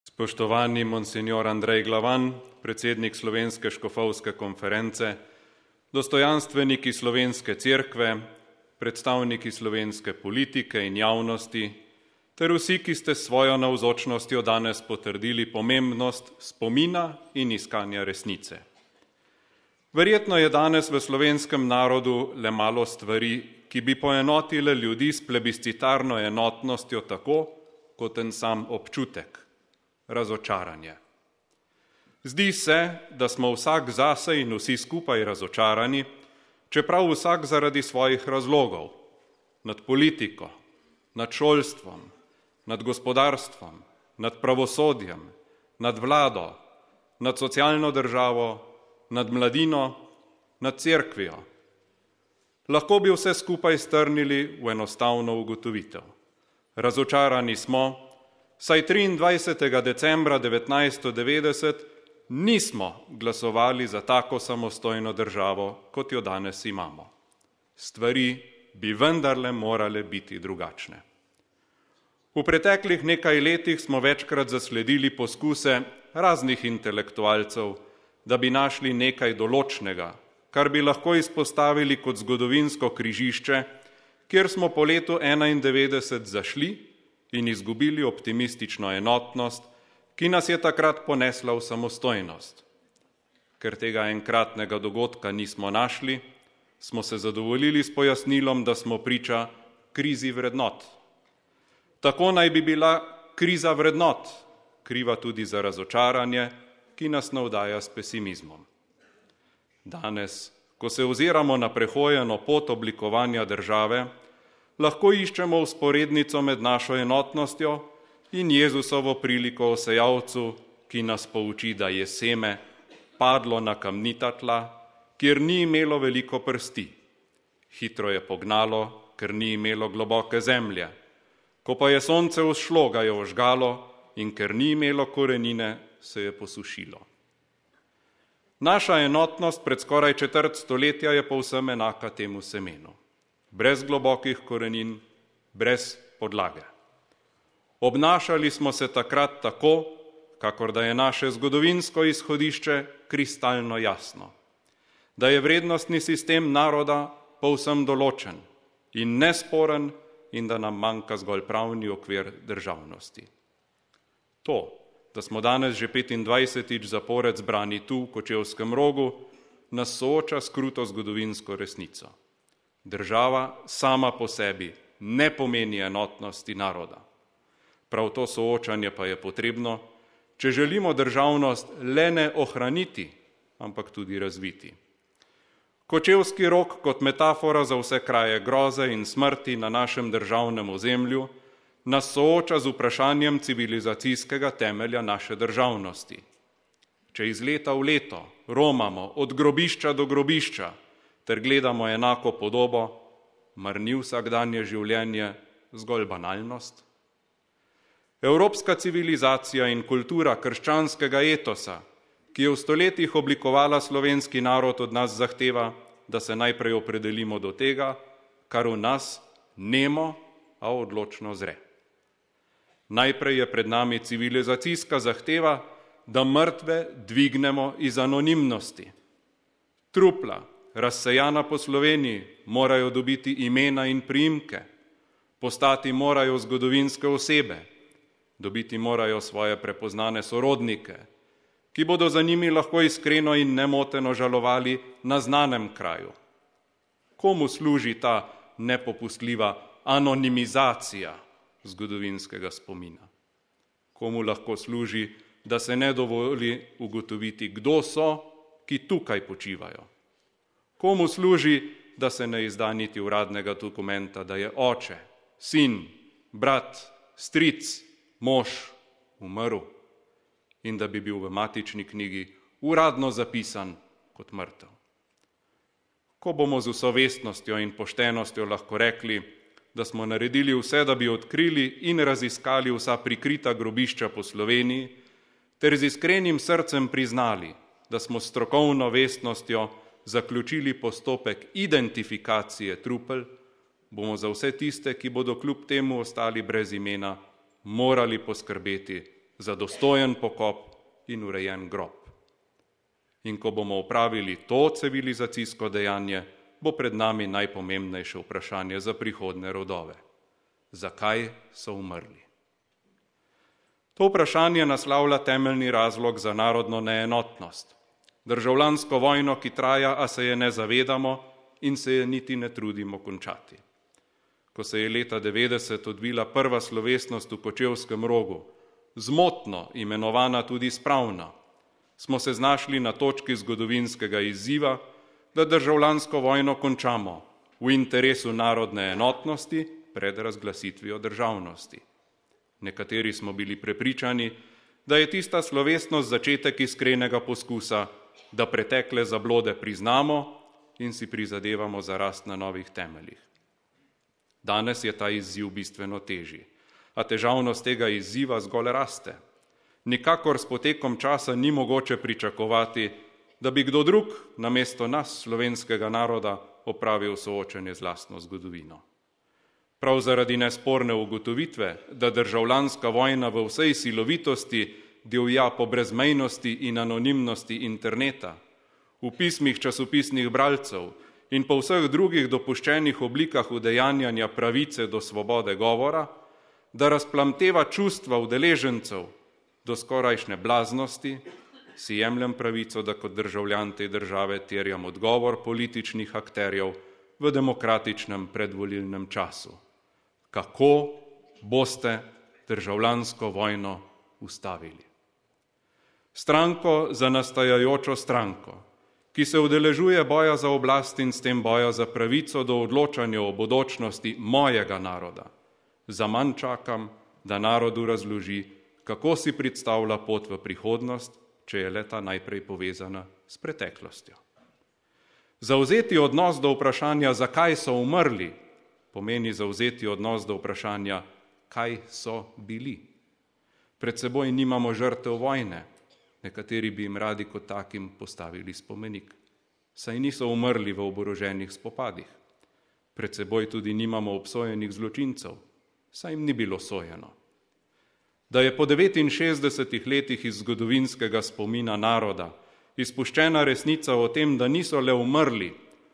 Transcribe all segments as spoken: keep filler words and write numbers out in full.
Spoštovani monsignor Andrej Glavan, predsednik Slovenske škofovske konference, dostojanstveniki Slovenske cerkve, predstavniki slovenske politike in javnosti, ter vsi, ki ste s svojo navzočnostjo danes potrdili pomembnost spomina in iskanja resnice. Verjetno je danes v slovenskem narodu le malo stvari, ki bi poenotile ljudi s plebiscitarno enotnostjo tako, kot en sam občutek. Razočaranje. Zdi se, da smo vsak zase in vsi skupaj razočarani, čeprav vsak zaradi svojih razlogov, nad politiko, nad šolstvom, nad gospodarstvom, nad pravosodjem, nad vlado, nad socialno državo, nad mladino, nad cerkvijo. Lahko bi vse skupaj strnili v enostavno ugotovitev. Razočarani smo, saj triindvajsetega decembra devetnajststo devetdeset nismo glasovali za tako samostojno državo, kot jo danes imamo. Stvari bi vendarle morale biti drugačne. V preteklih nekaj letih smo večkrat zasledili poskuse raznih intelektualcev, da bi našli nekaj določnega, kar bi lahko izpostavili kot zgodovinsko križišče, kjer smo po letu enaindevetdeset zašli in izgubili optimistično enotnost, ki nas je takrat ponesla v samostojnost. Ker tega enkratnega dogodka nismo našli, smo se zadovoljili s pojasnilom, da smo priča krizi vrednot. Tako naj bi bila kriza vrednot kriva tudi za razočaranje, ki nas navdaja s pesimizmom. Danes, ko se oziramo na prehojeno pot oblikovanja države, lahko iščemo vzporednico med našo enotnostjo in Jezusovo priliko o sejalcu, ki nas pouči, da je seme padlo na kamnita tla, kjer ni imelo veliko prsti. Hitro je pognalo, ker ni imelo globoke zemlje. Ko pa je sonce vzšlo, ga je ožgalo in ker ni imelo korenine, se je posušilo. Naša enotnost pred skoraj četrt stoletja je povsem enaka temu semenu. Brez globokih korenin, brez podlage. Obnašali smo se takrat tako, kakor da je naše zgodovinsko izhodišče kristalno jasno, da je vrednostni sistem naroda povsem določen in nesporen in da nam manjka zgolj pravni okvir državnosti. To, da smo danes že petindvajsetič zapored zbrani tu v Kočevskem Rogu, nas sooča s kruto zgodovinsko resnico. Država sama po sebi ne pomeni enotnosti naroda. Prav to soočanje pa je potrebno, če želimo državnost le ne ohraniti, ampak tudi razviti. Kočevski Rog kot metafora za vse kraje groze in smrti na našem državnem ozemlju nas sooča z vprašanjem civilizacijskega temelja naše državnosti. Če iz leta v leto romamo od grobišča do grobišča, ter gledamo enako podobo, mar ni vsakdanje življenje zgolj banalnost? Evropska civilizacija in kultura krščanskega etosa, ki je v stoletjih oblikovala slovenski narod, od nas zahteva, da se najprej opredelimo do tega, kar v nas nemo, a odločno zre. Najprej je pred nami civilizacijska zahteva, da mrtve dvignemo iz anonimnosti. Trupla, razsejana po Sloveniji, morajo dobiti imena in priimke, postati morajo zgodovinske osebe, dobiti morajo svoje prepoznane sorodnike, ki bodo za njimi lahko iskreno in nemoteno žalovali na znanem kraju. Komu služi ta nepopustljiva anonimizacija zgodovinskega spomina? Komu lahko služi, da se ne dovoli ugotoviti, kdo so, ki tukaj počivajo? Komu služi, da se ne izda niti uradnega dokumenta, da je oče, sin, brat, stric, mož umrl in da bi bil v matični knjigi uradno zapisan kot mrtev? Ko bomo z vso vestnostjo in poštenostjo lahko rekli, da smo naredili vse, da bi odkrili in raziskali vsa prikrita grobišča po Sloveniji, ter z iskrenim srcem priznali, da smo s strokovno vestnostjo zaključili postopek identifikacije trupel, bomo za vse tiste, ki bodo kljub temu ostali brez imena, morali poskrbeti za dostojen pokop in urejen grob. In ko bomo opravili to civilizacijsko dejanje, bo pred nami najpomembnejše vprašanje za prihodne rodove. Zakaj so umrli? To vprašanje naslavlja temeljni razlog za narodno neenotnost. Državljansko vojno, ki traja, a se je ne zavedamo in se je niti ne trudimo končati. Ko se je leta devetdeset odvila prva slovesnost v Kočevskem Rogu, zmotno imenovana tudi spravna, smo se znašli na točki zgodovinskega izziva, da državljansko vojno končamo v interesu narodne enotnosti pred razglasitvijo državnosti. Nekateri smo bili prepričani, da je tista slovesnost začetek iskrenega poskusa, da pretekle zablode priznamo in si prizadevamo za rast na novih temeljih. Danes je ta izziv bistveno težji, a težavnost tega izziva zgolj raste. Nikakor s potekom časa ni mogoče pričakovati, da bi kdo drug namesto nas, slovenskega naroda, opravil soočenje z lastno zgodovino. Prav zaradi nesporne ugotovitve, da državljanska vojna v vsej silovitosti divja po brezmejnosti in anonimnosti interneta, v pismih časopisnih bralcev in po vseh drugih dopuščenih oblikah udejanjanja pravice do svobode govora, da razplamteva čustva udeležencev do skorajšnje blaznosti, si jemljem pravico, da kot državljan te države terjam odgovor političnih akterjev v demokratičnem predvolilnem času. Kako boste državljansko vojno ustavili? Stranko za nastajajočo stranko, ki se udeležuje boja za oblast in s tem boja za pravico do odločanja o bodočnosti mojega naroda, zaman čakam, da narodu razloži, kako si predstavlja pot v prihodnost, če je leta najprej povezana s preteklostjo. Zavzeti odnos do vprašanja, zakaj so umrli, pomeni zavzeti odnos do vprašanja, kaj so bili. Pred seboj nimamo žrtev vojne, nekateri bi jim radi kot takim postavili spomenik. Saj niso umrli v oboroženih spopadih. Pred seboj tudi nimamo obsojenih zločincev, saj jim ni bilo sojeno. Da je po devetinšestdesetih letih iz zgodovinskega spomina naroda izpuščena resnica o tem, da niso le umrli,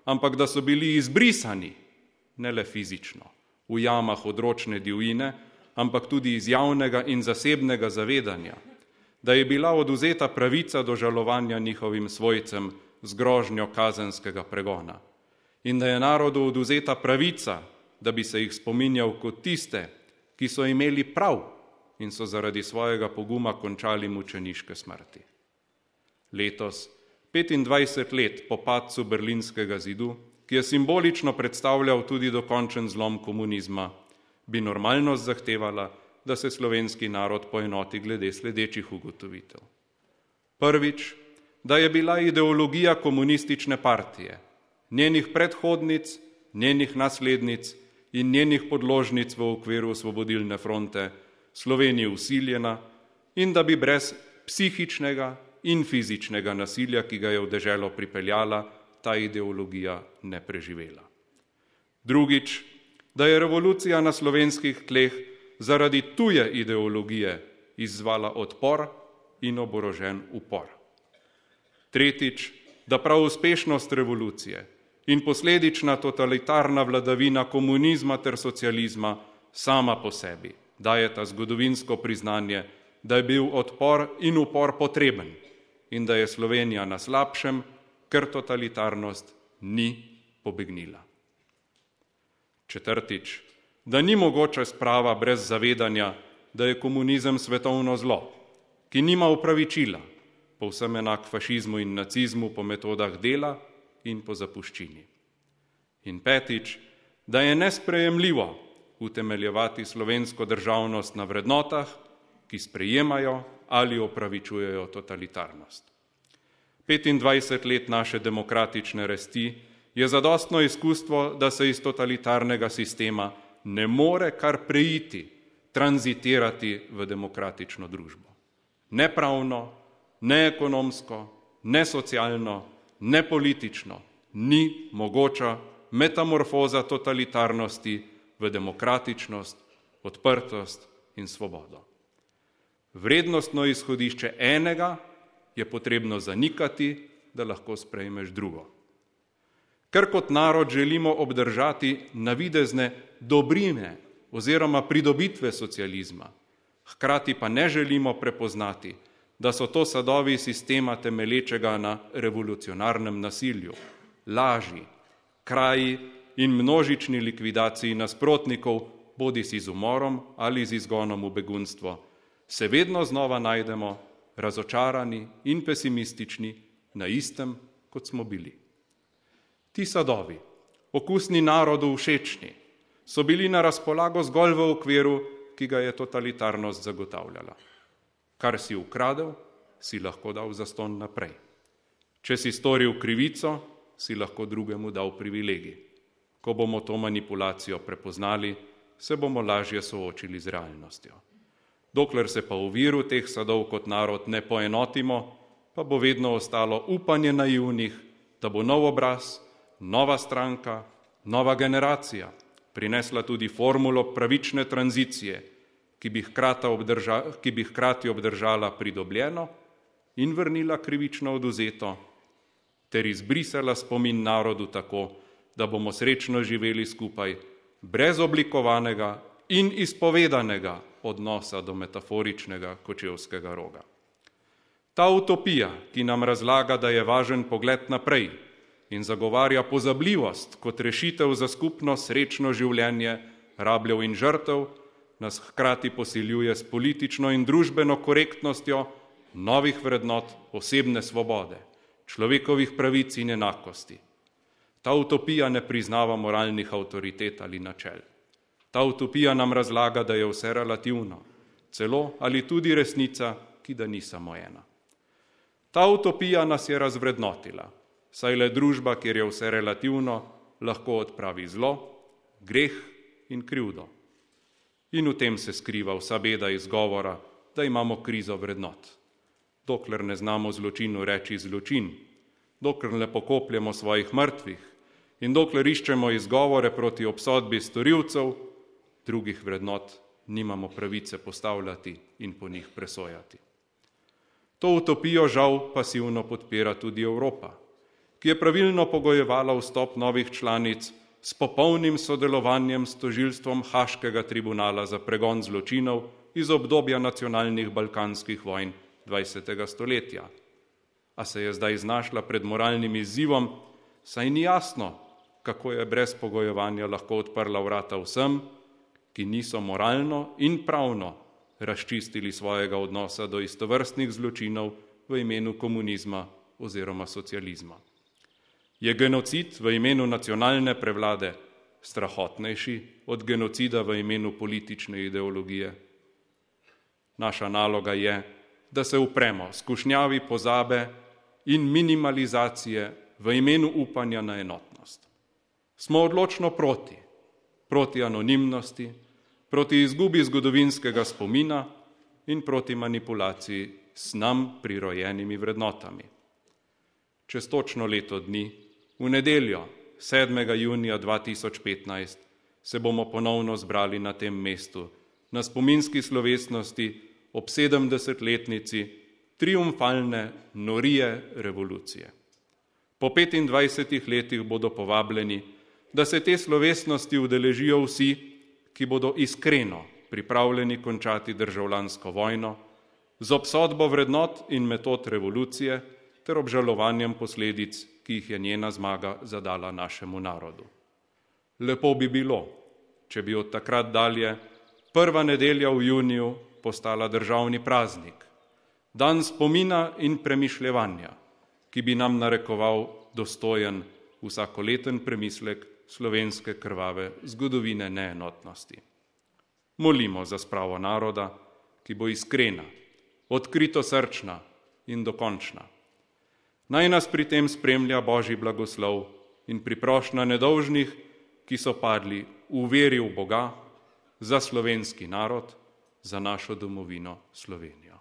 ampak da so bili izbrisani, ne le fizično, v jamah odročne divjine, ampak tudi iz javnega in zasebnega zavedanja, da je bila odvzeta pravica do žalovanja njihovim svojcem z grožnjo kazenskega pregona in da je narodu odvzeta pravica, da bi se jih spominjal kot tiste, ki so imeli prav in so zaradi svojega poguma končali mučeniške smrti. Letos, petindvajset let po padcu Berlinskega zidu, ki je simbolično predstavljal tudi dokončen zlom komunizma, bi normalnost zahtevala, da se slovenski narod poenoti glede sledečih ugotovitev. Prvič, da je bila ideologija komunistične partije, njenih predhodnic, njenih naslednic in njenih podložnic v okviru Osvobodilne fronte Sloveniji vsiljena in da bi brez psihičnega in fizičnega nasilja, ki ga je v deželo pripeljala, ta ideologija ne preživela. Drugič, da je revolucija na slovenskih tleh zaradi tuje ideologije izzvala odpor in oborožen upor. Tretjič, da prav uspešnost revolucije in posledična totalitarna vladavina komunizma ter socializma sama po sebi dajeta zgodovinsko priznanje, da je bil odpor in upor potreben in da je Slovenija na slabšem, ker totalitarnost ni pobegnila. Četrtič, da ni mogoče sprava brez zavedanja, da je komunizem svetovno zlo, ki nima upravičila, povsem enak fašizmu in nacizmu po metodah dela in po zapuščini. In petič, da je nesprejemljivo utemeljevati slovensko državnost na vrednotah, ki sprejemajo ali opravičujejo totalitarnost. petindvajset let naše demokratične rasti je zadostno izkustvo, da se iz totalitarnega sistema ne more kar preiti, tranzitirati v demokratično družbo. Ne pravno, ne ekonomsko, ne socialno, ne politično ni mogoča metamorfoza totalitarnosti v demokratičnost, odprtost in svobodo. Vrednostno izhodišče enega je potrebno zanikati, da lahko sprejmeš drugo. Ker kot narod želimo obdržati navidezne dobrine oziroma pridobitve socializma, hkrati pa ne želimo prepoznati, da so to sadovi sistema temelječega na revolucionarnem nasilju, laži, kraji in množični likvidaciji nasprotnikov, bodisi z umorom ali z izgonom v begunstvo, se vedno znova najdemo razočarani in pesimistični na istem, kot smo bili. Ti sadovi, okusni narodu všečni, so bili na razpolago zgolj v okviru, ki ga je totalitarnost zagotavljala. Kar si ukradel, si lahko dal zastonj naprej. Če si storil krivico, si lahko drugemu dal privilegij. Ko bomo to manipulacijo prepoznali, se bomo lažje soočili z realnostjo. Dokler se pa v viru teh sadov kot narod ne poenotimo, pa bo vedno ostalo upanje naivnih, da bo nov obraz, nova stranka, nova generacija prinesla tudi formulo pravične tranzicije, ki bi hkrati, obdrža, ki bi hkrati obdržala pridobljeno in vrnila krivično oduzeto, ter izbrisala spomin narodu tako, da bomo srečno živeli skupaj, brez oblikovanega in izpovedanega odnosa do metaforičnega kočevskega roga. Ta utopija, ki nam razlaga, da je važen pogled naprej in zagovarja pozabljivost kot rešitev za skupno srečno življenje rabljev in žrtev, nas hkrati posiljuje s politično in družbeno korektnostjo novih vrednot osebne svobode, človekovih pravic in enakosti. Ta utopija ne priznava moralnih avtoritet ali načel. Ta utopija nam razlaga, da je vse relativno, celo ali tudi resnica, ki da ni samo ena. Ta utopija nas je razvrednotila, saj le družba, kjer je vse relativno, lahko odpravi zlo, greh in krivdo. In v tem se skriva vsa beda izgovora, da imamo krizo vrednot. Dokler ne znamo zločinu reči zločin, dokler ne pokopljemo svojih mrtvih in dokler iščemo izgovore proti obsodbi storilcev, drugih vrednot nimamo pravice postavljati in po njih presojati. To utopijo žal pasivno podpira tudi Evropa, ki je pravilno pogojevala vstop novih članic s popolnim sodelovanjem s tožilstvom Haškega tribunala za pregon zločinov iz obdobja nacionalnih balkanskih vojn dvajsetega stoletja. A se je zdaj znašla pred moralnim izzivom, saj ni jasno, kako je brez pogojevanja lahko odprla vrata vsem, ki niso moralno in pravno razčistili svojega odnosa do istovrstnih zločinov v imenu komunizma oziroma socializma. Je genocid v imenu nacionalne prevlade strahotnejši od genocida v imenu politične ideologije? Naša naloga je, da se upremo skušnjavi pozabe in minimalizacije v imenu upanja na enotnost. Smo odločno proti, proti anonimnosti, proti izgubi zgodovinskega spomina in proti manipulaciji s nam prirojenimi vrednotami. Čez točno leto dni, v nedeljo, sedmega junija dva tisoč petnajst, se bomo ponovno zbrali na tem mestu, na spominski slovesnosti ob sedemdesetletnici triumfalne norije revolucije. Po petindvajsetih letih bodo povabljeni, da se te slovesnosti udeležijo vsi, ki bodo iskreno pripravljeni končati državljansko vojno, z obsodbo vrednot in metod revolucije ter obžalovanjem posledic, ki jih je njena zmaga zadala našemu narodu. Lepo bi bilo, če bi od takrat dalje prva nedelja v juniju postala državni praznik, dan spomina in premišljevanja, ki bi nam narekoval dostojen vsakoleten premislek slovenske krvave zgodovine neenotnosti. Molimo za spravo naroda, ki bo iskrena, odkrito srčna in dokončna. Naj nas pri tem spremlja Božji blagoslov in priprošnja nedolžnih, ki so padli v veri v Boga, za slovenski narod, za našo domovino Slovenijo.